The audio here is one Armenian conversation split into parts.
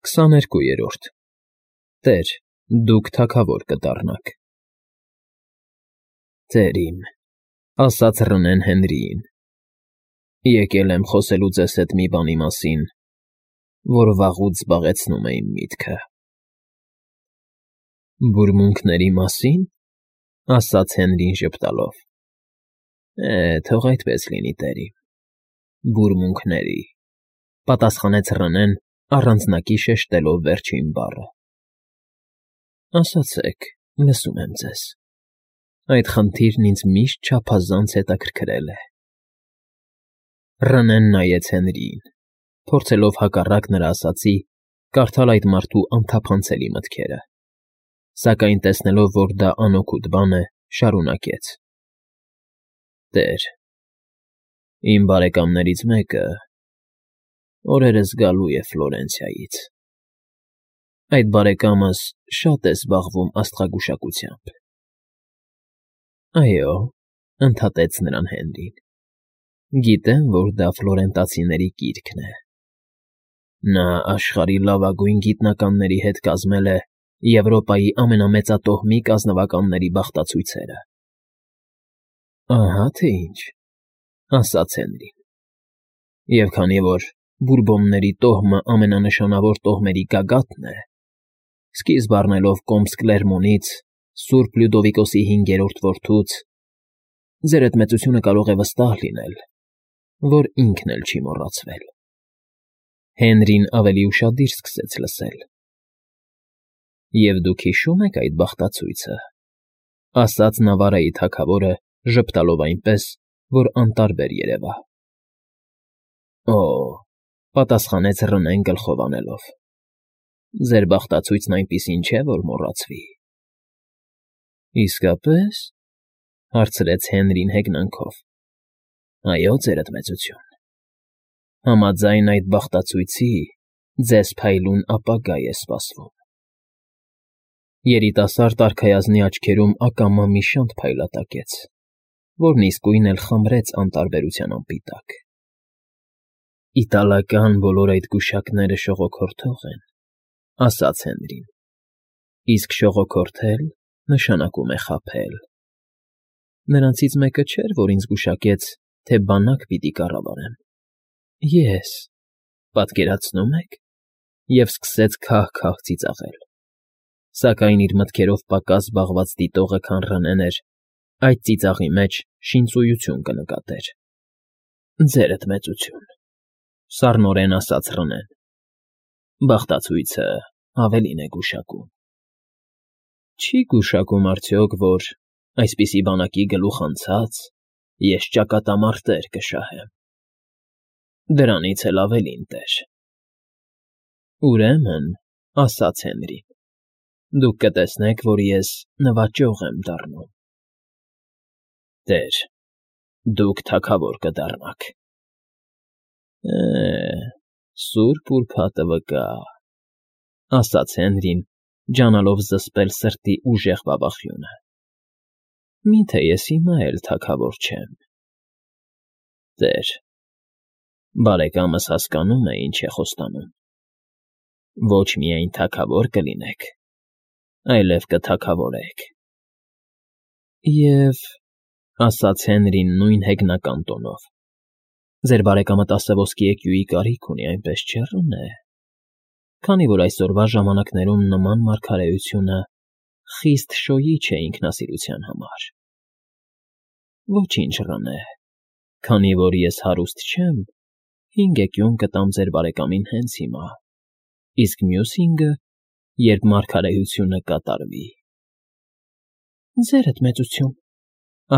22-րդ Տեր, դուք թագավոր կդառնաք։ Տեր իմ, ասաց Ռնեն Հենրիին, եկել եմ խոսելու ձեզ հետ մի բանի մասին, որ վաղուց զբաղեցնում է իմ միտքը։ Բուրմունքների մասին, ասաց Հենրին ժպտալով։ Թող այդպես լինի, տեր իմ, բուրմունքների, պատասխանեց Ռնեն, առանձնակի շեշտելով վերջին բառը։ Ասացեք, լսում եմ ձեզ։ Այդ խնդիրն ինձ միշտ չափազանց հետաքրքրել է։ Ռնեն նայեց Հենրիին, փորձելով հակառակ նրա ասածի, կարդալ այդ մարդու անթափանցելի մտքերը, սակայն տեսնելով, որ դա անօգուտ բան է, շարունակեց. Տեր, իմ բարեկամներից մեկը օրերս գալու է Ֆլորենցիայից։ Այդ բարեկամս շատ է զբաղվում աստղագուշակությամբ։ Այո, ընդհատեց նրան Հենրին։ Գիտեմ, որ դա ֆլորենտացիների կիրքն է։ Նա աշխարհի լավագույն գիտնականների հետ կազմել է Եվրոպայի ամենամեծատոհմիկ ազնվականների բախտացույցերը։ Ահա թե ինչ, ասաց Հենրին։ Եվ քանի որ Բուրբոնների տոհմը ամենանշանավոր տոհմերի գագաթն է, սկիզբ առնելով Կոմս Կլերմոնից, Սուրբ Լյուդովիկոսի 5-րդ որդուց, ձեր այդ մեծությունը կարող է վստահ լինել, որ ինքն էլ չի մոռացվել։ Հենրին ավելի ուշադիր սկսեց լսել։ Եվ դուք հիշում եք այդ բախտացույցը, ասաց Նավարայի թագավորը, ժպտալով այնպես, որ անտարբեր երևա։ Օ, պատասխանեց Ռնեն գլխով անելով։ Ձեր բախտացույցն այնպիսին չէ, որ մոռացվի։ Իսկապես, հարցրեց Հենրին հեգնանքով։ Այո, ձերդ մեծություն։ Համաձայն այդ բախտացույցի ձեզ փայլուն ապագա է սպասվում։ Երիտասարդ արքայազնի աչքերում ակամա մի շանթ փայլատակեց, որն իսկույն էլ խմրեց անտարբերության անպիտակ։ Իտալական բոլոր այդ գուշակները շողոքորթող են, ասաց Հենրին, իսկ շողոքորթել նշանակում է խաբել։ Նրանցից մեկը չէր, որ ինձ գուշակեց, թե բանակ պիտի կառավարեմ։ Ես, պատկերացնում եք, և սկսեց քահ-քահ ծիծաղել։ Սակայն իր մտքերով պակաս զբաղված դիտողը, քան Ռնեն էր, այդ ծիծաղի մեջ շինծույություն կնկատեր։ Ձերդ մեծություն, սառնորեն ասաց Ռնեն։ Բախտացույցը ավելին է գուշակում։ Չի գուշակում արդյոք, որ այսպիսի բանակի գլուխ անցած ես ճակատամարտեր կշահեմ։ Դրանից էլ ավելին, տեր։ Ուրեմն, ասաց Հենրին, դուք կտեսնեք, որ ես նվաճող եմ դառնում։ Տեր, դուք թագավոր կդառնաք։ Սուրբ ուրբաթը վկա, ասաց Հենրին, ջանալով զսպել սրտի ուժեղ բաբախյունը։ Միթե ես հիմա էլ թագավոր չեմ։ Տեր, բարեկամս հասկանում է, ինչ է խոստանում։ Ոչ միայն թագավոր կլինեք, այլև կթագավորեք։ Եվ, ասաց Հենրին նույն հեգնական տոնով, ձեր բարեկամը 10 ոսկի էկյուի կարիք ունի, այնպես չէ՞, Ռնե։ Քանի որ այսօրվա ժամանակներում նման մարգարեությունը խիստ շոյիչ է ինքնասիրության համար։ Ոչինչ, Ռնե, քանի որ ես հարուստ չեմ, 5 էկյուն կտամ ձեր բարեկամին հենց հիմա, իսկ մյուս 5-ը, երբ մարգարեությունը կատարվի։ Ձերդ մեծություն,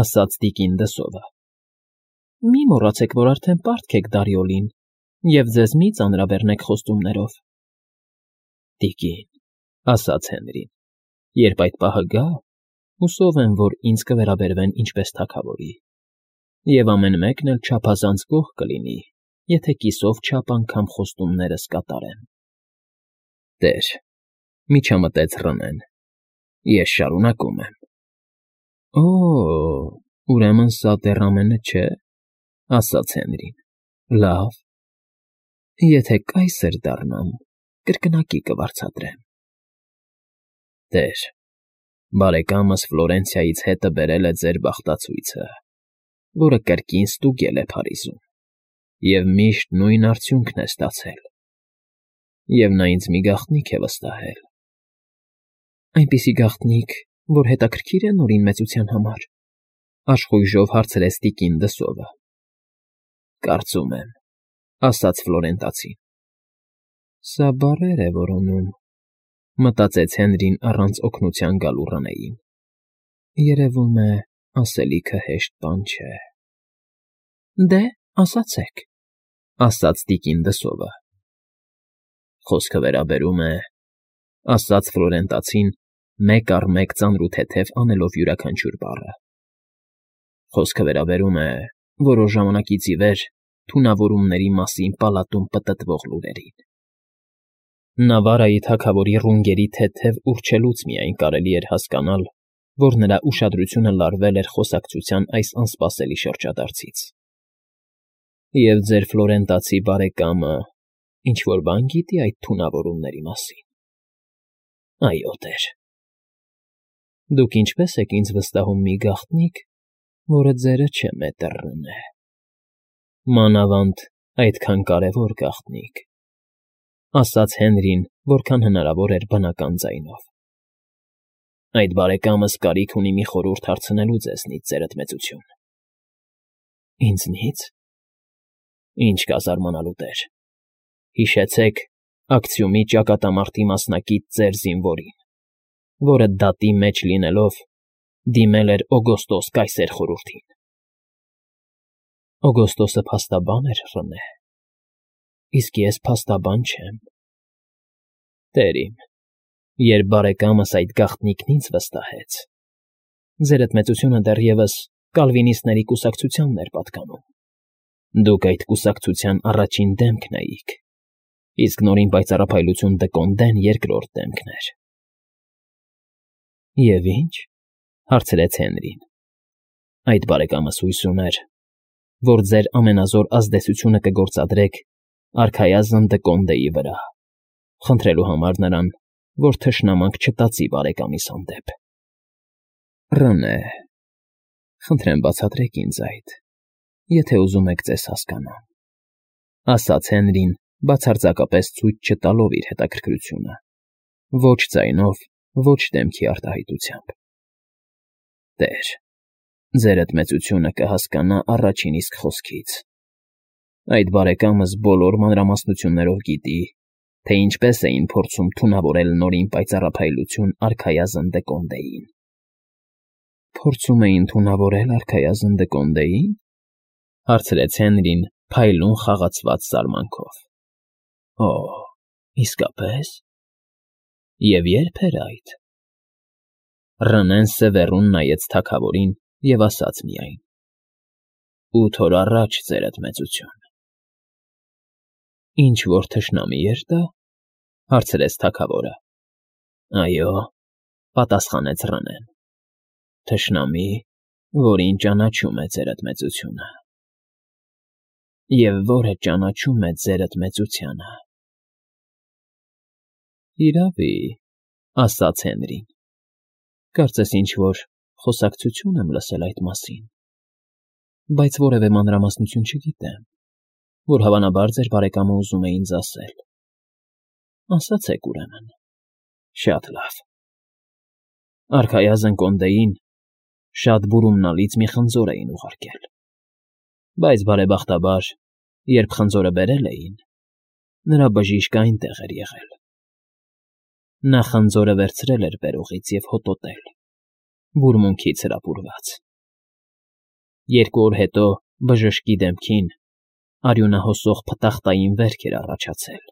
ասաց տիկին Դսովը։ Մի մոռացեք, որ արդեն պարտք եք Դարիոլին և ձեզ մի ծանրաբեռնեք խոստումներով։ Տիկին, ասաց Հենրին, երբ այդ պահը գա, հուսով եմ, որ ինձ կվերաբերվեն ինչպես թագավորի, և ամեն մեկն էլ չափազանց գոհ կլինի, եթե կիսով չափ անգամ խոստումներս կատարեմ։ Տեր, միջամտեց Ռնեն, ես շարունակում եմ։ Օ, ուրեմն սա դեռ ամենը չէ, ասաց Հենրին։ Լավ, եթե կայսր դառնամ, կրկնակի կվարձատրեմ։ Տեր, բարեկամս Ֆլորենցիայից հետը բերել է ձեր բախտացույցը, որը կրկին ստուգել է Փարիզում, և միշտ նույն արդյունքն է ստացել։ Եվ նա ինձ մի գաղտնիք է վստահել։ Այնպիսի գաղտնիք, որ հետաքրքիր է Նորին մեծության համար, աշխույժով հարցրեց տիկին Դսովը։ Կարծում եմ, ասաց Ֆլորենտացին։ Սա բառեր է որոնում, մտածեց Հենրին առանց օգնության գալու Ռնեին։ Երևում է, ասելիքը հեշտ բան չէ։ Դե, ասացեք, ասաց տիկին Դսովը։ Խոսքը վերաբերում է, ասաց Ֆլորենտացին, մեկ առ մեկ ծանրութեթև անելով յուրաքանչյուր բառը։ Խոսքը վերաբերում է որոշ ժամանակից ի վեր թունավորումների մասին պալատում պտտվող լուրերին։ Նավարայի թագավորի ռունգերի թեթև ուռչելուց միայն կարելի էր հասկանալ, որ նրա ուշադրությունը լարվել էր խոսակցության այս անսպասելի շրջադարձից։ Եվ ձեր ֆլորենտացի բարեկամը ինչ-որ բան գիտի այդ թունավորումների մասին։ Այո, տեր։ Դուք ինչպես եք ինձ վստահում մի գաղտնիք, որը ձերը չէ մետր Ռնե։ Մանավանդ այդքան կարևոր գաղտնիք, ասաց Հենրին, որքան հնարավոր էր բնական ձայնով։ Այդ բարեկամս կարիք ունի մի խորհուրդ հարցնելու ձեզնից, ձերդ մեծություն։ Ինձնից։ Ինչ կա զարմանալու, տեր։ Հիշեցեք Ակցիումի ճակատամարտի մասնակից ձեր զինվորին, որը դատի մեջ լինելով դիմել էր Օգոստոս կայսեր խորհրդին։ Օգոստոսը փաստաբան էր, Ռնե, իսկ ես փաստաբան չեմ։ Տեր իմ, երբ բարեկամս այդ գաղտնիքն ինձ վստահեց, ձերդ մեծությունը դեռևս կալվինիստների կուսակցությանն էր պատկանում։ Դուք այդ կուսակցության առաջին դեմքն էիք, իսկ Նորին պայծառափայլություն Դկոնդեն երկրորդ դեմքն էր։ Եվ ինչ, հարցրեց Հենրին։ Այդ բարեկամս հույս ուներ, որ ձեր ամենազոր ազդեցությունը կգործադրեք արքայազն Դկոնդեի վրա, խնդրելու համար նրան, որ թշնամանք չտածի բարեկամիս հանդեպ։ Ռնե, խնդրեմ բացատրեք ինձ այդ, եթե ուզում եք ձեզ հասկանամ, ասաց Հենրին, բացարձակապես ցույց չտալով իր հետաքրքրությունը, ոչ ձայնով, ոչ դեմքի արտահայտությամբ։ Տեր, ձերդ մեծությունը կհասկանա առաջին իսկ խոսքից։ Այդ բարեկամս բոլոր մանրամասնություններով գիտի, թե ինչպես էին փորձում թունավորել Նորին պայծառափայլություն արքայազն Դկոնդեին։ Փորձում էին թունավորել արքայազն Դկոնդեին, հարցրեց Հենրին փայլուն խաղացված զարմանքով։ Օ, իսկապես։ Եվ ե՞րբ էր այդ։ Ռնեն սևեռուն նայեց թագավորին և ասաց միայն. 8 օր առաջ, ձերդ մեծություն։ Ինչ որ թշնամի էր դա, հարցրեց թագավորը։ Այո, պատասխանեց Ռնեն։ Թշնամի, որին ճանաչում է ձերդ մեծությունը։ Եվ որը ճանաչում է ձերդ մեծությանը։ Իրավի, ասաց Հենրին։ Կարծես ինչ-որ խոսակցություն եմ լսել այդ մասին, բայց որևէ մանրամասնություն չգիտեմ, որ հավանաբար ձեր բարեկամը ուզում է ինձ ասել։ Ասացեք ուրեմն։ Շատ լավ։ Արքայազն Կոնդեին շատ բուրումնալից մի խնձոր էին ուղարկել, բայց բարեբախտաբար, երբ խնձորը բերել էին, նրա բժիշկը այնտեղ էր եղել։ Նա խնձորը վերցրել էր բերողից և հոտոտել, բուրմունքից հրապուրված։ 2 օր հետո բժշկի դեմքին արյունահոսող փտախտային վերք էր առաջացել,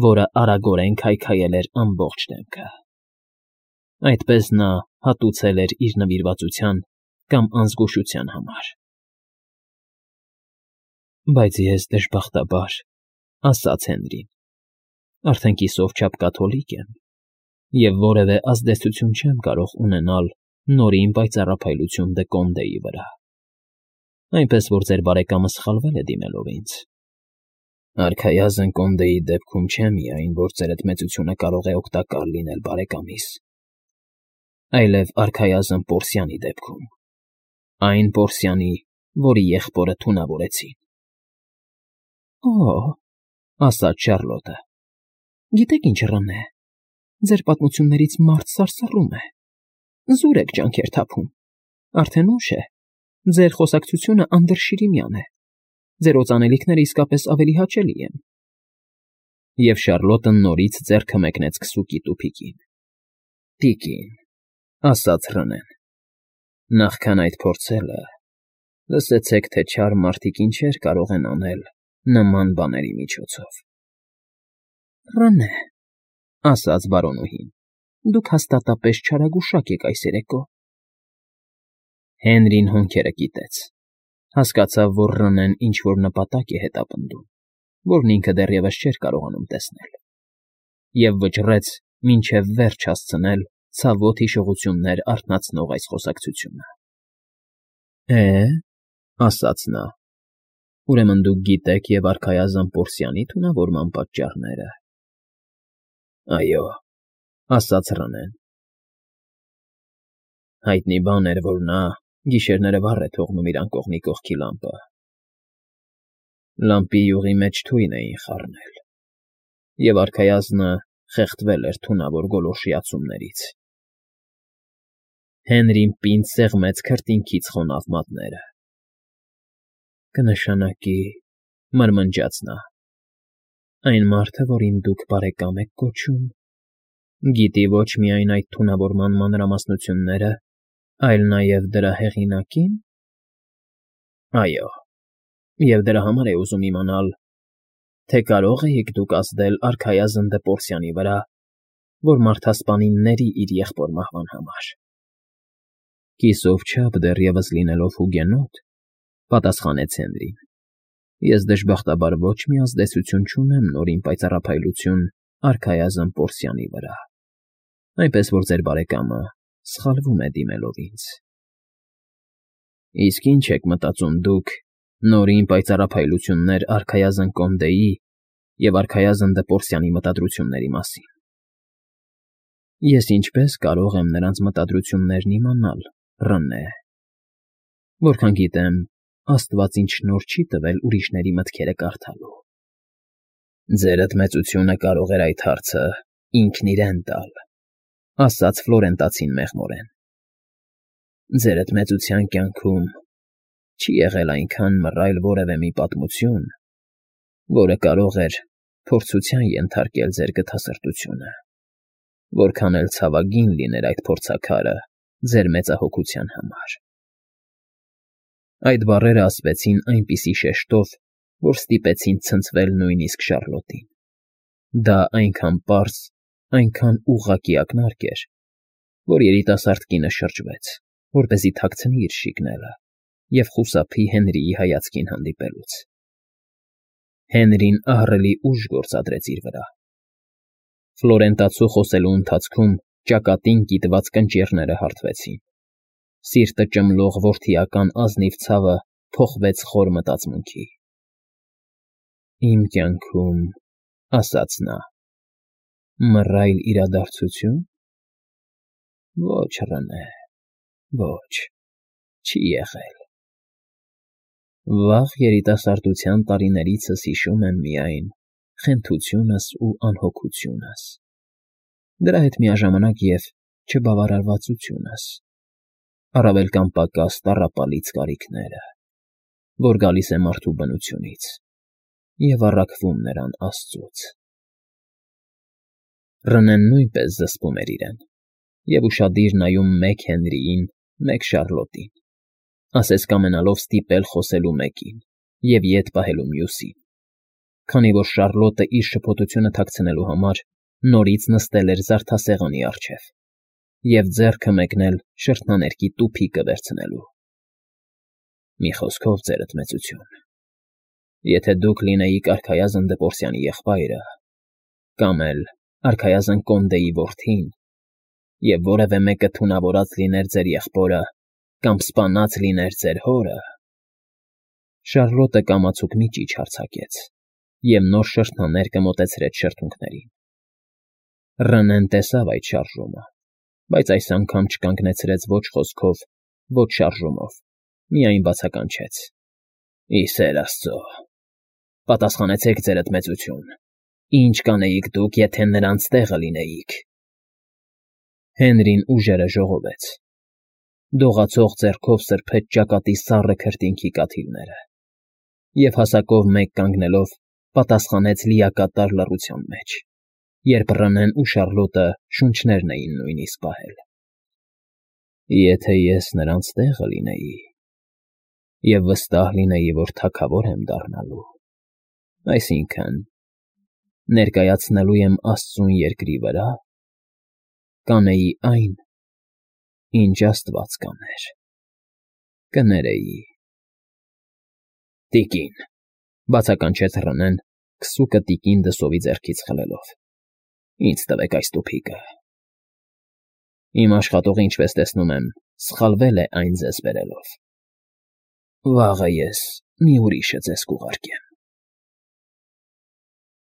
որը արագորեն քայքայել էր ամբողջ դեմքը։ Այդպես նա հատուցել էր իր նվիրվածության կամ անզգուշության համար։ Բայց ես դժբախտաբար, ասաց Հենրին, արդեն կիսով չափ կաթոլիկ եմ և որևէ ազդեցություն չեմ կարող ունենալ Նորին պայծառափայլություն Դկոնդեի վրա։ Այնպես որ ձեր բարեկամը սխալվել է դիմելով ինձ։ Արքայազն Կոնդեի դեպքում չէ միայն, որ ձերդ մեծությունը կարող է օգտակար լինել բարեկամիս, այլև արքայազն Պորսիանի դեպքում, այն Պորսիանի, որի եղբորը թունավորեցին։ Օ՜, ասաց Շարլոտը, գիտեք ինչ, Ռնե, ձեր պատմություններից մարդ սարսռում է, զուր եք ջանքեր թափում, արդեն ուշ է, ձեր խոսակցությունը անդրշիրիմյան է, ձեր օծանելիքները իսկապես ավելի հաճելի են։ Եվ Շարլոտը նորից ձեռքը մեկնեց քսուկի տուփիկին։ Տիկին, ասաց Ռնեն, նախքան այդ փորձելը, լսեցեք, թե չար մարդիկ ինչեր կարող են անել նման բաների միջոցով։ Ռնե, ասաց բարոնուհին, դուք հաստատապես չարագուշակ եք այս երեկո։ Հենրին հոնքերը կիտեց, հասկացավ, որ Ռնեն ինչ-որ նպատակ է հետապնդում, որն ինքը դեռևս չէր կարողանում տեսնել, և վճռեց մինչև վերջ հասցնել ցավոտ հիշողություններ արթնացնող այս խոսակցությունը։ Ասաց նա, ուրեմն դուք գիտեք և արքայազն Պորսիանի թունավորման պատճառները։ Այո, ասաց Ռնեն։ Հայտնի բան էր, որ նա գիշերները վառ է թողնում իր անկողնի կողքի լամպը։ Լամպի յուղի մեջ թույն էին խառնել, և արքայազնը խեղդվել էր թունավոր գոլորշիացումներից։ Հենրին պինդ սեղմեց քրտինքից խոնավ մատները։ Կնշանակի, մրմնջաց նա, այն մարդը, որին դուք բարեկամ եք կոչում, գիտի ոչ միայն այդ թունավորման մանրամասնությունները, այլ նաև դրա հեղինակի՞ն։ Այո, և դրա համար է ուզում իմանալ, թե կարող էիք դուք ազդել արքայազն Պորսիանի վրա, որ մարդասպանին ների իր եղբոր մահվան համար։ Կիսով չափ դեռևս լինելով հուգենոտ, պատասխանեց Հենրին, ես դժբախտաբար ոչ մի ազդեցություն չունեմ նորին պայծառափայլություն արքայազն Պորսիանի վրա, այնպես որ ձեր բարեկամը սխալվում է դիմելով ինձ։ Իսկ ինչ եք մտածում դուք նորին պայծառափայլություններ արքայազն Կոնդեի և արքայազն Պորսիանի մտադրությունների մասին։ Ես ինչպես կարող եմ նրանց մտադրություններն իմանալ, Ռնե։ Որքան գիտեմ, Աստված ինձ շնորհ չի տվել ուրիշների մտքերը կարդալու։ Ձերդ մեծությունը կարող էր այդ հարցը ինքն իրեն տալ, ասաց Ֆլորենտացին մեղմորեն։ Ձերդ մեծության կյանքում չի եղել այնքան մռայլ որևէ մի պատմություն, որը կարող էր փորձության ենթարկել ձեր գթասրտությունը, որքան էլ ցավագին լիներ այդ փորձաքարը ձեր մեծահոգության համար։ Այդ բառերը ասվեցին այնպիսի շեշտով, որ ստիպեցին ցնցվել նույնիսկ Շարլոտին։ Դա այնքան պարզ, այնքան ուղղակի ակնարկ էր, որ երիտասարդ կինը շրջվեց, որպեսզի թաքցնի իր շիկները և խուսափի Հենրիի հայացքին հանդիպելուց։ Հենրին ահռելի ուժ գործադրեց իր վրա։ Ֆլորենտացու խոսելու ընթացքում ճակատին կիտված կնճիռները հարթվեցին։ Սիրտը ճմլող որդիական ազնիվ ցավը փոխվեց խոր մտածմունքի։ Իմ կյանքում, ասաց նա, մռայլ իրադարձությո՞ւն։ Ոչ, Ռնե, ոչ, չի եղել։ Վաղ երիտասարդության տարիներիցս հիշում եմ միայն խենթությունս ու անհոգությունս, դրա հետ միաժամանակ և չբավարարվածությունս, առավել կամ պակաս տառապալից կարիքները, որ գալիս է մարդու բնությունից և առաքվում նրան Աստծուց։ Ռնեն նույնպես զսպում էր իրեն և ուշադիր նայում մեկ Հենրիին, մեկ Շարլոտին, ասես կամենալով ստիպել խոսելու մեկին և ետ պահելու մյուսին, քանի որ Շարլոտը իր շփոթությունը թաքցնելու համար նորից նստել էր զարդասեղանի առջև և ձեռքը մեկնել շրթնաներկի տուփիկը վերցնելու։ Մի խոսքով, ձերդ մեծություն, եթե դուք լինեիք արքայազն Պորսիանի եղբայրը, կամ էլ արքայազն Կոնդեի որդին, և որևէ մեկը թունավորած լիներ ձեր եղբորը կամ սպանած լիներ ձեր հորը… Շարլոտը կամացուկ մի ճիչ արձակեց, և նոր շրթաներ կմոտեցրեց շրթունքներին։ Ռնեն տեսավ այդ շարժումը, բայց այս անգամ չկանգնեցրեց ոչ խոսքով, ոչ շարժումով, միայն բացականչեց. «Ի սեր Աստծո, պատասխանեցեք, ձերդ մեծություն, ինչ կանեիք դուք, եթե նրանց տեղը լինեիք»։ Հենրին ուժերը ժողովեց։ Դողացող ձեռքով սրբեց ճակատի սառը քրտինքի կաթիլները և հասակով մեկ կանգնելով պատասխանեց լիակատար լռության մեջ, երբ Ռնեն ու Շարլոտը շունչներն էին նույնիսկ պահել։ «Եթե ես նրանց տեղը լինեի և վստահ լինեի, որ թագավոր եմ դառնալու, այսինքն՝ ներկայացնելու եմ Աստծուն երկրի վրա, կանեի այն, ինչ Աստված կաներ, կներեի»։ «Տիկին,֊ բացականչեց Ռնեն, քսուկը տիկին դսովի ձեռքից խլելով,֊ ինձ տվեք այս տուփիկը։ Իմ աշխատողը, ինչպես տեսնում եմ, սխալվել է այն ձեզ բերելով։ Վաղը ես մի ուրիշը ձեզ կուղարկեմ»։